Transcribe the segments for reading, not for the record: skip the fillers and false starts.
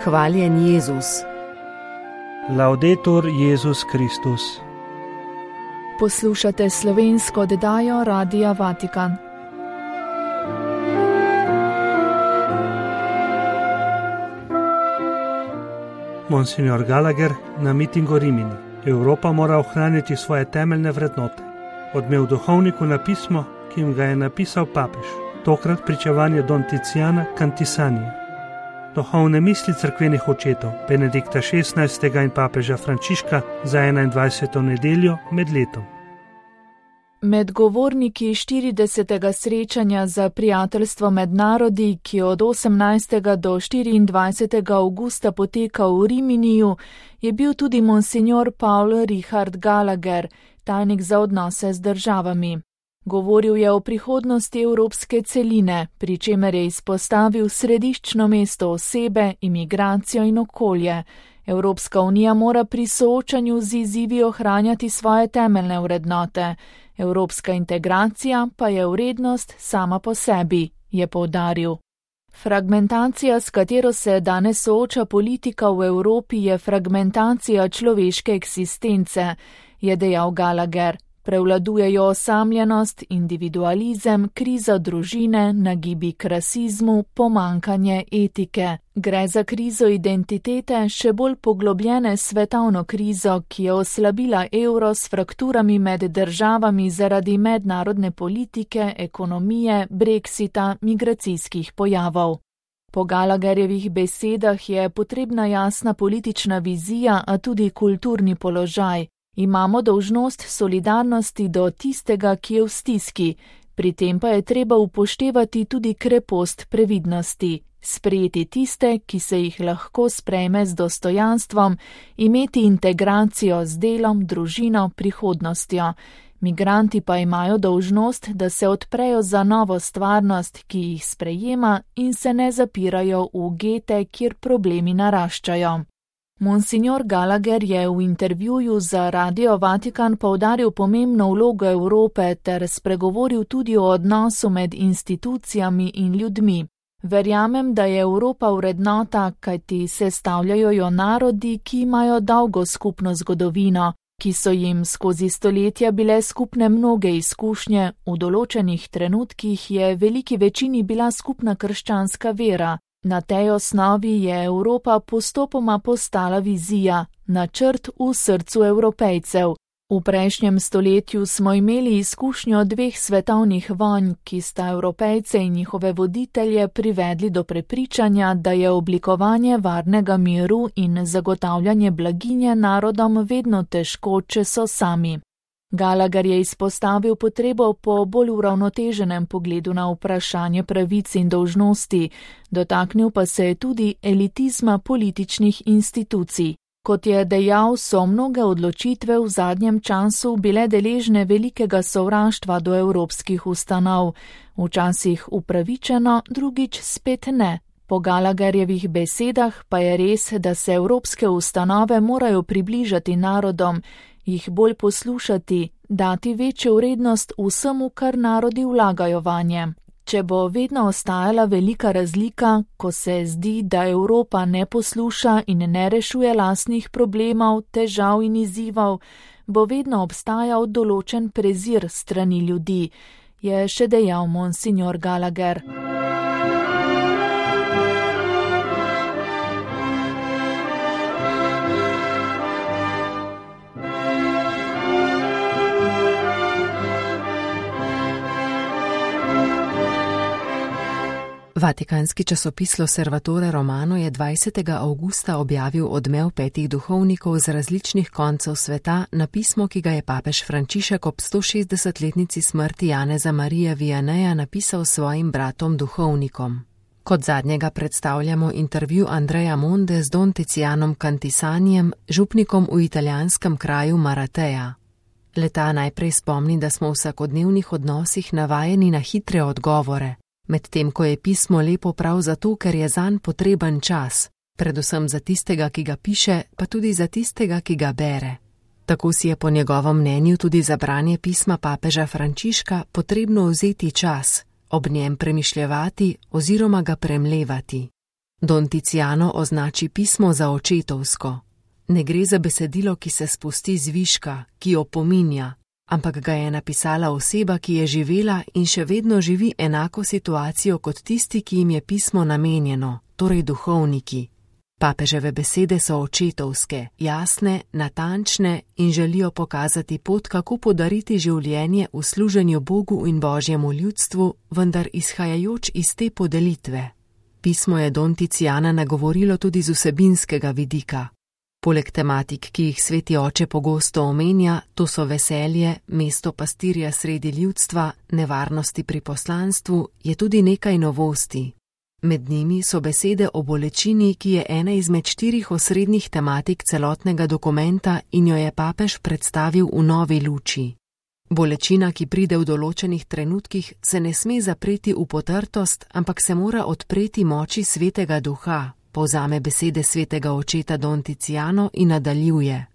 Hvaljen Jezus. Laudetur Jezus Kristus. Poslušate slovensko oddajo Radia Vatikan. Monsignor Gallagher na mitingu Rimini. Evropa mora ohraniti svoje temeljne vrednote. Odmev duhovniku na pismo, ki jim ga je napisal papež. Tokrat pričevanje Don Tiziana Cantisanije. Duhovne misli cerkvenih očetov Benedikta XVI. In papeža Frančiška za 21. nedeljo med letom. Med govorniki 40. srečanja za prijateljstvo med narodi, ki od 18. do 24. avgusta poteka v Riminiju, je bil tudi monsignor Paul Richard Gallagher, tajnik za odnose z državami. Govoril je o prihodnosti evropske celine, pri čemer je izpostavil središčno mesto osebe, imigracijo in okolje. Evropska unija mora pri soočanju z izzivi ohranjati svoje temeljne vrednote. Evropska integracija pa je vrednost sama po sebi, je poudaril. Fragmentacija, s katero se danes sooča politika v Evropi, je fragmentacija človeške eksistence, je dejal Gallagher. Prevladujejo osamljenost, individualizem, kriza družine, nagibi k rasizmu, pomankanje etike. Gre za krizo identitete, še bolj poglobljene svetovno krizo, ki je oslabila evro s frakturami med državami zaradi mednarodne politike, ekonomije, brexita, migracijskih pojavov. Po Gallagherjevih besedah je potrebna jasna politična vizija, a tudi kulturni položaj. Imamo dolžnost solidarnosti do tistega, ki je v stiski, pri tem pa je treba upoštevati tudi krepost previdnosti, sprejeti tiste, ki se jih lahko sprejme z dostojanstvom, imeti integracijo z delom, družino, prihodnostjo. Migranti pa imajo dolžnost, da se odprejo za novo stvarnost, ki jih sprejema in se ne zapirajo v gete, kjer problemi naraščajo. Monsignor Gallagher je v intervjuju za Radio Vatikan poudaril pomembno vlogo Evrope ter spregovoril tudi o odnosu med institucijami in ljudmi. Verjamem, da je Evropa vrednota, kajti sestavljajo jo narodi, ki imajo dolgo skupno zgodovino, ki so jim skozi stoletja bile skupne mnoge izkušnje, v določenih trenutkih je veliki večini bila skupna krščanska vera. Na tej osnovi je Evropa postopoma postala vizija, načrt v srcu Evropejcev. V prejšnjem stoletju smo imeli izkušnjo dveh svetovnih vojn, ki sta Evropejce in njihove voditelje privedli do prepričanja, da je oblikovanje varnega miru in zagotavljanje blaginje narodom vedno težko, če so sami. Gallagher je izpostavil potrebo po bolj uravnoteženem pogledu na vprašanje pravic in dolžnosti, dotaknil pa se je tudi elitizma političnih institucij. Kot je dejal, so mnoge odločitve v zadnjem času bile deležne velikega sovraštva do evropskih ustanov, včasih upravičeno, drugič spet ne. Po Gallagherjevih besedah pa je res, da se evropske ustanove morajo približati narodom, jih bolj poslušati, dati večjo vrednost vsemu, kar narodi vlagajo vanje. Če bo vedno ostajala velika razlika, ko se zdi, da Evropa ne posluša in ne rešuje lastnih problemov, težav in izzivov, bo vedno obstajal določen prezir strani ljudi, je še dejal monsignor Gallagher. Vatikanski časopis L'Osservatore Romano je 20. avgusta objavil odmev 5 duhovnikov z različnih koncev sveta na pismo, ki ga je papež Frančišek ob 160-letnici smrti Janeza Marija Vianeja napisal svojim bratom duhovnikom. Kot zadnjega predstavljamo intervju Andreja Monde z Don Tizianom Cantisanijem, župnikom v italijanskem kraju Maratea. Leta najprej spomni, da smo v vsakodnevnih odnosih navajeni na hitre odgovore, medtem ko je pismo lepo prav zato, ker je zanj potreben čas, predvsem za tistega, ki ga piše, pa tudi za tistega, ki ga bere. Tako si je po njegovem mnenju tudi za branje pisma papeža Frančiška potrebno vzeti čas, ob njem premišljevati oziroma ga premlevati. Don Tiziano označi pismo za očetovsko. Ne gre za besedilo, ki se spusti z viška, ki opominja, ampak ga je napisala oseba, ki je živela in še vedno živi enako situacijo kot tisti, ki jim je pismo namenjeno, torej duhovniki. Papeževe besede so očetovske, jasne, natančne in želijo pokazati pot, kako podariti življenje v služenju Bogu in Božjemu ljudstvu, vendar izhajajoč iz te podelitve. Pismo je Don Tiziana nagovorilo tudi z vsebinskega vidika. Poleg tematik, ki jih sveti oče pogosto omenja, to so veselje, mesto pastirja sredi ljudstva, nevarnosti pri poslanstvu, je tudi nekaj novosti. Med njimi so besede o bolečini, ki je ena izmed 4 osrednjih tematik celotnega dokumenta in jo je papež predstavil v novi luči. Bolečina, ki pride v določenih trenutkih, se ne sme zapreti v potrtost, ampak se mora odpreti moči svetega duha, povzame besede svetega očeta Don Tiziano in nadaljuje.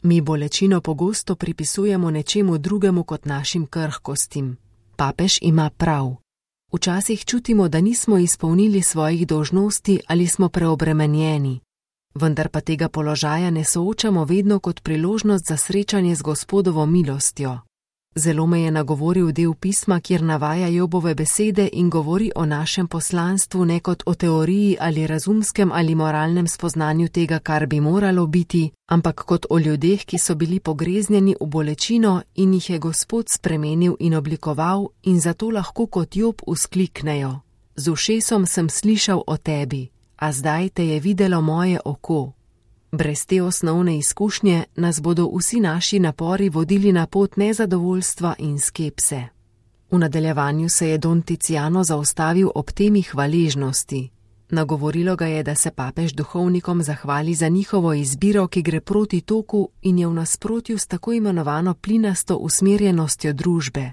Mi bolečino pogosto pripisujemo nečemu drugemu kot našim krhkostim. Papež ima prav. Včasih čutimo, da nismo izpolnili svojih dolžnosti ali smo preobremenjeni. Vendar pa tega položaja ne soočamo vedno kot priložnost za srečanje z Gospodovo milostjo. Zelo me je nagovoril del pisma, kjer navaja Jobove besede in govori o našem poslanstvu ne kot o teoriji ali razumskem ali moralnem spoznanju tega, kar bi moralo biti, ampak kot o ljudeh, ki so bili pogreznjeni v bolečino in jih je Gospod spremenil in oblikoval in zato lahko kot Job vzkliknejo: Z ušesom sem slišal o tebi, a zdaj te je videlo moje oko. Brez te osnovne izkušnje nas bodo vsi naši napori vodili na pot nezadovoljstva in skepse. V nadaljevanju se je Don Tiziano zaustavil ob temi hvaležnosti. Nagovorilo ga je, da se papež duhovnikom zahvali za njihovo izbiro, ki gre proti toku in je v nasprotju s tako imenovano plinasto usmerjenostjo družbe.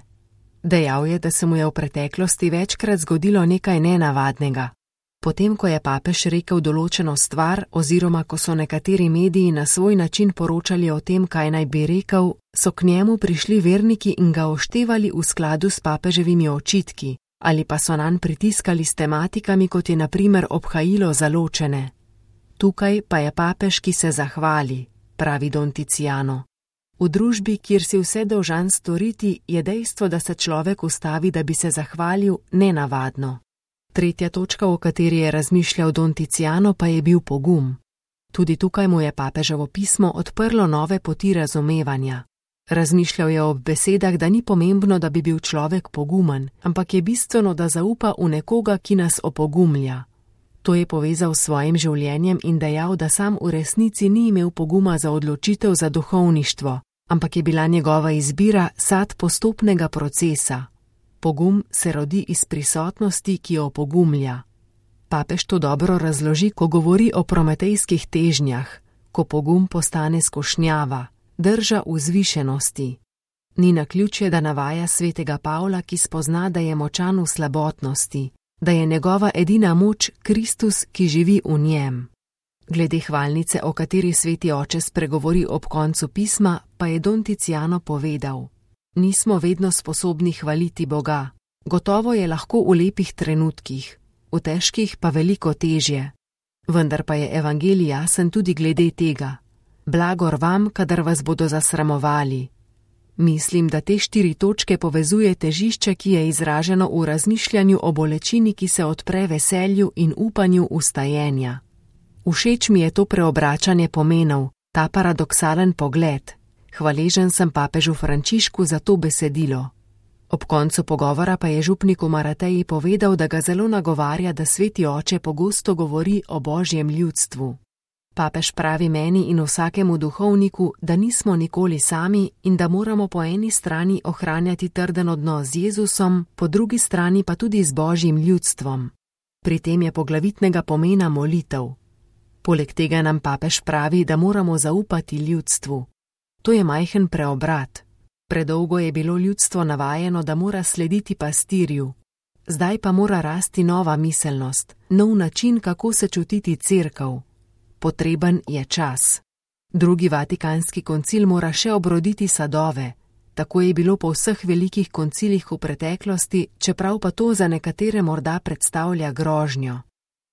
Dejal je, da se mu je v preteklosti večkrat zgodilo nekaj nenavadnega. Potem, ko je papež rekel določeno stvar oziroma ko so nekateri mediji na svoj način poročali o tem, kaj naj bi rekel, so k njemu prišli verniki in ga oštevali v skladu s papeževimi očitki, ali pa so nanj pritiskali s tematikami, kot je na primer obhajilo za ločene. Tukaj pa je papež, ki se zahvali, pravi Don Tiziano. V družbi, kjer si vse dolžan storiti, je dejstvo, da se človek ustavi, da bi se zahvalil, nenavadno. Tretja točka, o kateri je razmišljal Don Tiziano, pa je bil pogum. Tudi tukaj mu je papeževo pismo odprlo nove poti razumevanja. Razmišljal je ob besedah, da ni pomembno, da bi bil človek pogumen, ampak je bistveno, da zaupa v nekoga, ki nas opogumlja. To je povezal s svojim življenjem in dejal, da sam v resnici ni imel poguma za odločitev za duhovništvo, ampak je bila njegova izbira sad postopnega procesa. Pogum se rodi iz prisotnosti, ki jo opogumlja. Papež to dobro razloži, ko govori o prometejskih težnjah, ko pogum postane skušnjava, drža vzvišenosti. Ni naključje, da navaja svetega Pavla, ki spozna, da je močan v slabotnosti, da je njegova edina moč Kristus, ki živi v njem. Glede hvalnice, o kateri sveti oče spregovori ob koncu pisma, pa je Don Tiziano povedal: Nismo vedno sposobni hvaliti Boga. Gotovo je lahko v lepih trenutkih, v težkih pa veliko težje. Vendar pa je evangelij jasen tudi glede tega. Blagor vam, kadar vas bodo zasramovali. Mislim, da te 4 točke povezuje težišče, ki je izraženo v razmišljanju o bolečini, ki se odpre veselju in upanju vstajenja. Všeč mi je to preobračanje pomenov, ta paradoksalen pogled. Hvaležen sem papežu Frančišku za to besedilo. Ob koncu pogovora pa je župniku Marateji povedal, da ga zelo nagovarja, da sveti oče pogosto govori o Božjem ljudstvu. Papež pravi meni in vsakemu duhovniku, da nismo nikoli sami in da moramo po eni strani ohranjati trden odnos z Jezusom, po drugi strani pa tudi z Božjim ljudstvom. Pri tem je poglavitnega pomena molitev. Poleg tega nam papež pravi, da moramo zaupati ljudstvu. To je majhen preobrat. Predolgo je bilo ljudstvo navajeno, da mora slediti pastirju. Zdaj pa mora rasti nova miselnost, nov način, kako se čutiti cerkev. Potreben je čas. Drugi vatikanski koncil mora še obroditi sadove. Tako je bilo po vseh velikih koncilih v preteklosti, čeprav pa to za nekatere morda predstavlja grožnjo.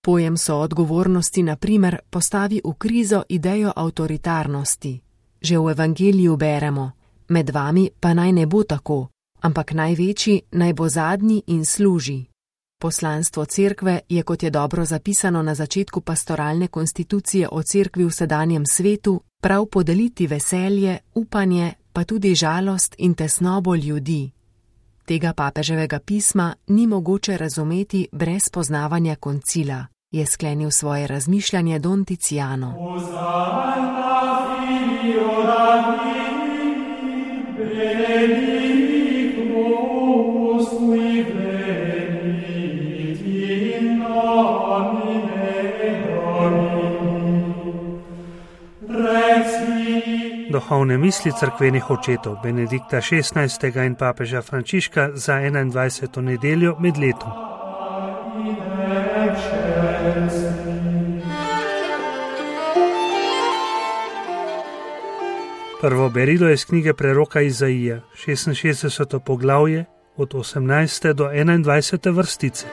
Pojem soodgovornosti na primer postavi v krizo idejo avtoritarnosti. Že v evangeliju beremo: med vami pa naj ne bo tako, ampak največji naj bo zadnji in služi. Poslanstvo cerkve je, kot je dobro zapisano na začetku pastoralne konstitucije o cerkvi v sedanjem svetu, prav podeliti veselje, upanje, pa tudi žalost in tesnobo ljudi. Tega papeževega pisma ni mogoče razumeti brez poznavanja koncila, je sklenil svoje razmišljanje Don Tiziano. Duhovne misli cerkvenih očetov Benedikta XVI. In papeža Frančiška za 21. nedeljo med letom. Prvo berilo je iz knjige preroka Izaija, 66. poglavje, od 18. do 21. vrstice.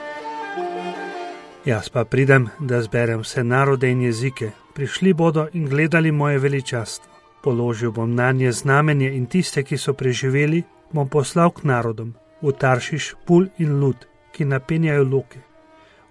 Jaz pa pridem, da zberem vse narode in jezike, prišli bodo in gledali moje veličastvo. Položil bom nanje znamenje in tiste, ki so preživeli, bom poslal k narodom, v Taršiš, Pul in Lud, ki napenjajo loke,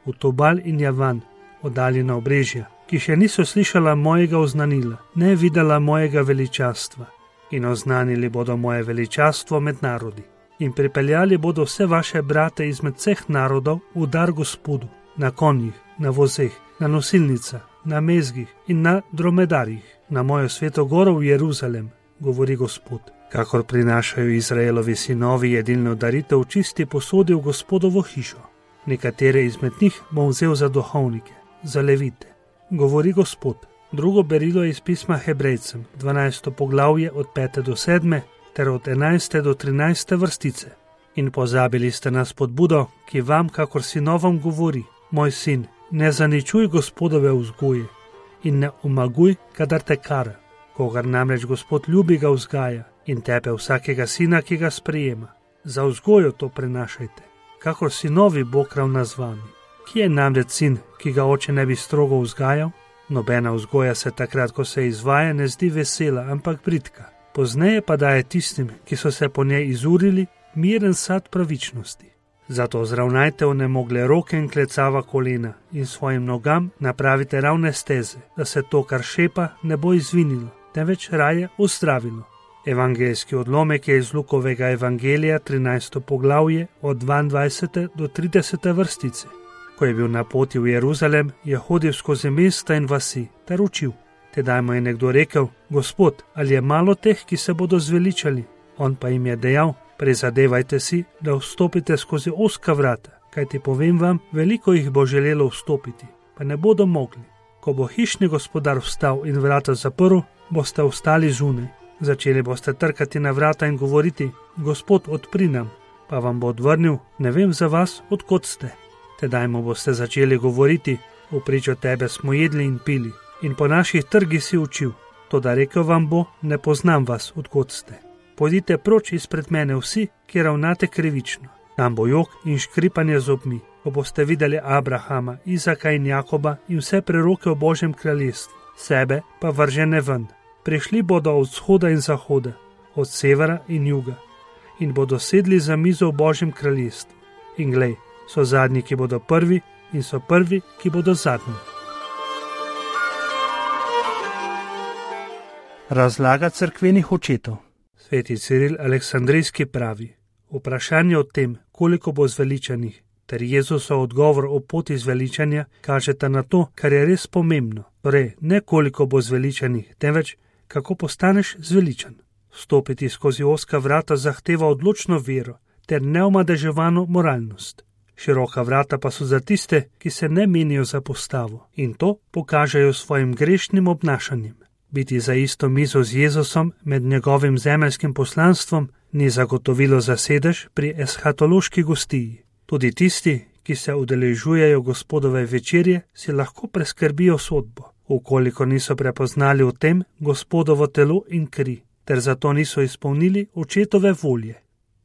v Tobal in Javan, oddaljena obrežja, ki še niso slišala mojega oznanila, ne videla mojega veličastva, in oznanili bodo moje veličastvo med narodi. In pripeljali bodo vse vaše brate izmed vseh narodov v dar Gospodu, na konjih, na vozeh, na nosilnicah, na mezgih in na dromedarjih, na mojo sveto goro v Jeruzalem, govori Gospod. Kakor prinašajo Izraelovi sinovi jedilno daritev, čisti posodi v Gospodovo hišo. Nekatere izmed njih bom vzel za duhovnike, za levite, govori Gospod. Drugo berilo je iz pisma Hebrejcem, 12. poglavje od 5. do 7. ter od 11. do 13. vrstice. In pozabili ste na spodbudo, ki vam, kakor sinovom, govori: moj sin, ne zaničuj Gospodove vzgoje in ne omaguj, kadar te kara. Kogar namreč Gospod ljubi, ga vzgaja in tepe vsakega sina, ki ga sprejema. Za vzgojo to prenašajte, kakor sinovi Bog ravna z vami. Kje je namreč sin, ki ga oče ne bi strogo vzgajal? Nobena vzgoja se takrat, ko se izvaja, ne zdi vesela, ampak bridka. Pozneje pa daje tistim, ki so se po njej izurili, miren sad pravičnosti. Zato zravnajte onemogle roke in klecava kolena in svojim nogam napravite ravne steze, da se to, kar šepa, ne bo izvinilo, temveč raje ozdravilo. Evangeljski odlomek je iz Lukovega evangelija, 13. poglavje, od 22. do 30. vrstice. Ko je bil na poti v Jeruzalem, je hodil skozi mesta in vasi ter učil. Tedaj mu je nekdo rekel: Gospod, ali je malo teh, ki se bodo zveličali? On pa jim je dejal: prizadevajte si, da vstopite skozi ozka vrata, kajti povem vam, veliko jih bo želelo vstopiti, pa ne bodo mogli. Ko bo hišni gospodar vstal in vrata zaprl, boste ostali zunaj. Začeli boste trkati na vrata in govoriti: Gospod, odpri nam. Pa vam bo odvrnil: ne vem za vas, od kod ste. Tedaj mu boste začeli govoriti: v pričo tebe smo jedli in pili in po naših trgih si učil. Toda rekel vam bo: ne poznam vas, od kod ste. Pojdite proč izpred mene vsi, ki ravnate krivično. Tam bo jok in škripanje zobmi, ko boste videli Abrahama, Izaka in Jakoba in vse preroke v Božjem kraljestvu, sebe pa vržene ven. Prišli bodo od vzhoda in zahoda, od severa in juga in bodo sedli za mizo v Božjem kraljestvu. In glej, so zadnji, ki bodo prvi, in so prvi, ki bodo zadnji. Razlaga cerkvenih očetov. Sveti Ciril Aleksandrijski pravi: vprašanje o tem, koliko bo zveličanih, ter Jezusov odgovor o poti zveličanja kažeta na to, kar je res pomembno. Torej, ne koliko bo zveličanih, temveč kako postaneš zveličan. Stopiti skozi ozka vrata zahteva odločno vero ter neomadeževano moralnost. Široka vrata pa so za tiste, ki se ne menijo za postavo in to pokažejo svojim grešnim obnašanjem. Biti za isto mizo z Jezusom med njegovim zemeljskim poslanstvom ni zagotovilo za sedež pri eshatološki gostiji. Tudi tisti, ki se udeležujejo Gospodove večerje, si lahko preskrbijo sodbo, ukoliko niso prepoznali v tem Gospodovo telo in kri, ter zato niso izpolnili očetove volje.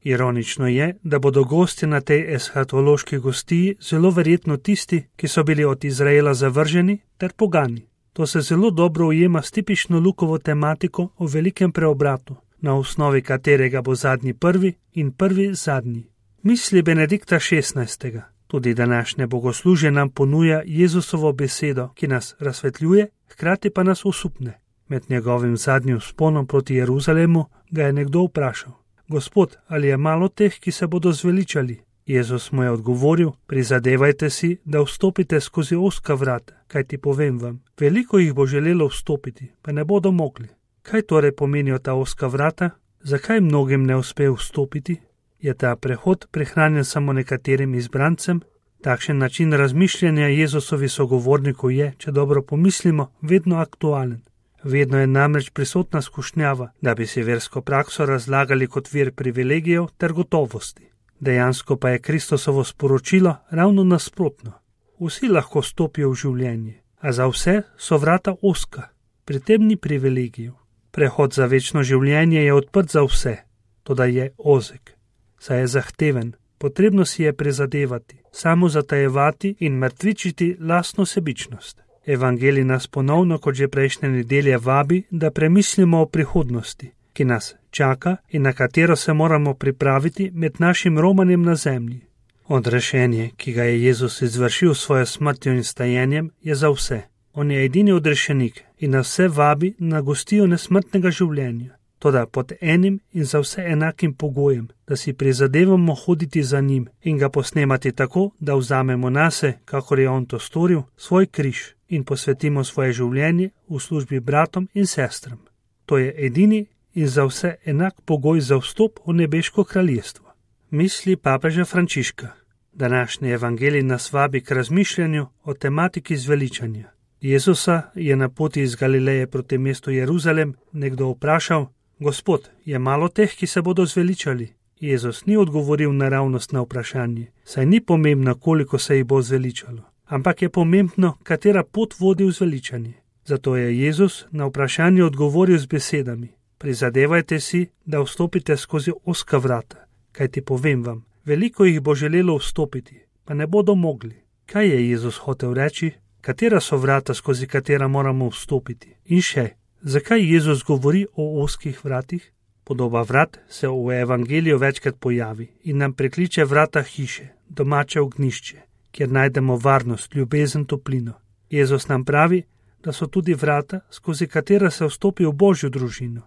Ironično je, da bodo gosti na tej eshatološki gostiji zelo verjetno tisti, ki so bili od Izraela zavrženi ter pogani. To se zelo dobro ujema s tipično Lukovo tematiko o velikem preobratu, na osnovi katerega bo zadnji prvi in prvi zadnji. Misli Benedikta XVI. Tudi današnje bogoslužje nam ponuja Jezusovo besedo, ki nas razsvetljuje, hkrati pa nas osupne. Med njegovim zadnjim vzponom proti Jeruzalemu ga je nekdo vprašal: Gospod, ali je malo teh, ki se bodo zveličali? Jezus mu je odgovoril: prizadevajte si, da vstopite skozi ozka vrata, kajti povem vam, veliko jih bo želelo vstopiti, pa ne bodo mogli. Kaj torej pomenijo ta ozka vrata? Zakaj mnogim ne uspe vstopiti? Je ta prehod prihranjen samo nekaterim izbrancem? Takšen način razmišljanja Jezusovi sogovornikov je, če dobro pomislimo, vedno aktualen. Vedno je namreč prisotna skušnjava, da bi si versko prakso razlagali kot vir privilegijev ter gotovosti. Dejansko pa je Kristusovo sporočilo ravno nasprotno. Vsi lahko stopijo v življenje, a za vse so vrata ozka, pri tem ni privilegijev. Prehod za večno življenje je odprt za vse, toda je ozek, saj je zahteven, potrebno si je prizadevati, samo zatajevati in mrtvičiti lastno sebičnost. Evangelij nas ponovno, kot že prejšnje nedelje, vabi, da premislimo o prihodnosti, ki nas čaka in na katero se moramo pripraviti med našim romanjem na zemlji. Odrešenje, ki ga je Jezus izvršil s svojo smrtjo in stajenjem, je za vse. On je edini odrešenik in nas vse vabi na gostijo nesmrtnega življenja, toda pod enim in za vse enakim pogojem, da si prizadevamo hoditi za njim in ga posnemati tako, da vzamemo nase, kakor je on to storil, svoj križ in posvetimo svoje življenje v službi bratom in sestram. To je edini in za vse enak pogoj za vstop v nebeško kraljestvo. Misli papeža Frančiška. Današnji evangelij nas vabi k razmišljanju o tematiki zveličanja. Jezusa je na poti iz Galileje proti mestu Jeruzalem nekdo vprašal: Gospod, je malo teh, ki se bodo zveličali? Jezus ni odgovoril naravnost na vprašanje, saj ni pomembno, koliko se jih bo zveličalo, ampak je pomembno, katera pot vodi v zveličanje. Zato je Jezus na vprašanje odgovoril z besedami: prizadevajte si, da vstopite skozi ozka vrata, kajti povem vam, veliko jih bo želelo vstopiti, pa ne bodo mogli. Kaj je Jezus hotel reči? Katera so vrata, skozi katera moramo vstopiti? In še, zakaj Jezus govori o ozkih vratih? Podoba vrat se v evangeliju večkrat pojavi in nam prekliče vrata hiše, domače ognjišče, kjer najdemo varnost, ljubezen, toplino. Jezus nam pravi, da so tudi vrata, skozi katera se vstopi v Božjo družino,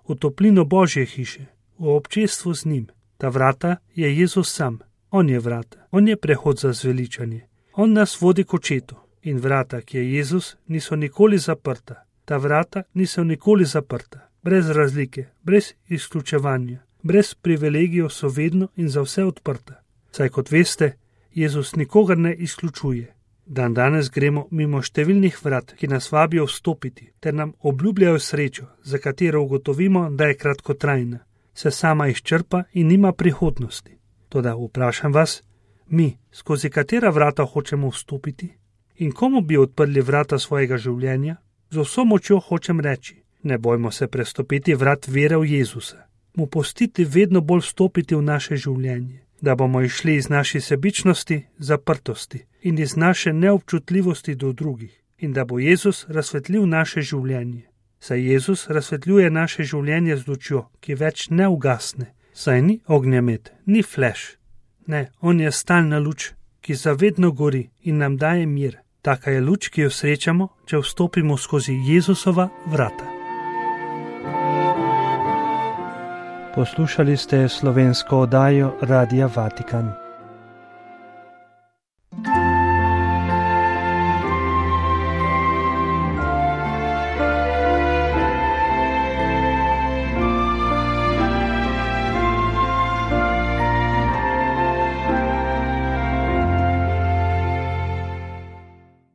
v toplino Božje hiše, v občestvo z njim. Ta vrata je Jezus sam. On je vrata, on je prehod za zveličanje. On nas vodi k očetu. In vrata, ki je Jezus, niso nikoli zaprta. Ta vrata niso nikoli zaprta. Brez razlike, brez izključevanja, brez privilegijev so vedno in za vse odprta. Saj kot veste, Jezus nikogar ne izključuje. Danes gremo mimo številnih vrat, ki nas vabijo vstopiti, ter nam obljubljajo srečo, za katero ugotovimo, da je kratkotrajna, se sama izčrpa in nima prihodnosti. Toda vprašam vas, mi, skozi katera vrata hočemo vstopiti? In komu bi odprli vrata svojega življenja? Z vso močjo hočem reči, ne bojmo se prestopiti vrat vere v Jezusa, mu pustiti vedno bolj vstopiti v naše življenje, da bomo išli iz naše sebičnosti, zaprtosti in iz naše neobčutljivosti do drugih in da bo Jezus razsvetlil naše življenje. Saj Jezus razsvetljuje naše življenje z lučjo, ki več ne ugasne, saj ni ognjemet, ni fleš. Ne, on je stalna luč, ki zavedno gori in nam daje mir. Taka je luč, ki jo srečamo, če vstopimo skozi Jezusova vrata. Poslušali ste slovensko oddajo Radia Vatikan.